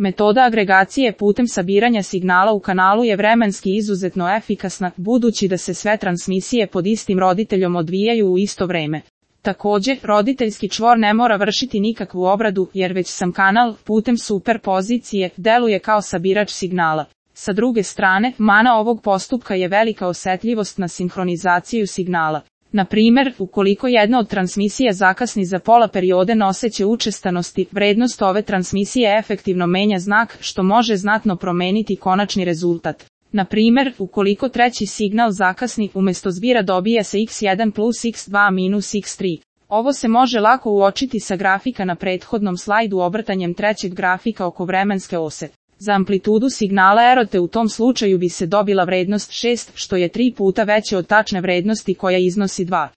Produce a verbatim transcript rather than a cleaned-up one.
Metoda agregacije putem sabiranja signala u kanalu je vremenski izuzetno efikasna, budući da se sve transmisije pod istim roditeljom odvijaju u isto vreme. Također, roditeljski čvor ne mora vršiti nikakvu obradu, jer već sam kanal, putem superpozicije, deluje kao sabirač signala. Sa druge strane, mana ovog postupka je velika osetljivost na sinhronizaciju signala. Na primjer, ukoliko jedna od transmisija zakasni za pola periode noseće učestanosti, vrednost ove transmisije efektivno menja znak, što može znatno promeniti konačni rezultat. Na primjer, ukoliko treći signal zakasni, umjesto zbira dobija se iks jedan plus iks dva minus iks tri. Ovo se može lako uočiti sa grafika na prethodnom slajdu obrtanjem trećeg grafika oko vremenske ose. Za amplitudu signala erote u tom slučaju bi se dobila vrednost šest, što je tri puta veće od tačne vrednosti koja iznosi dva.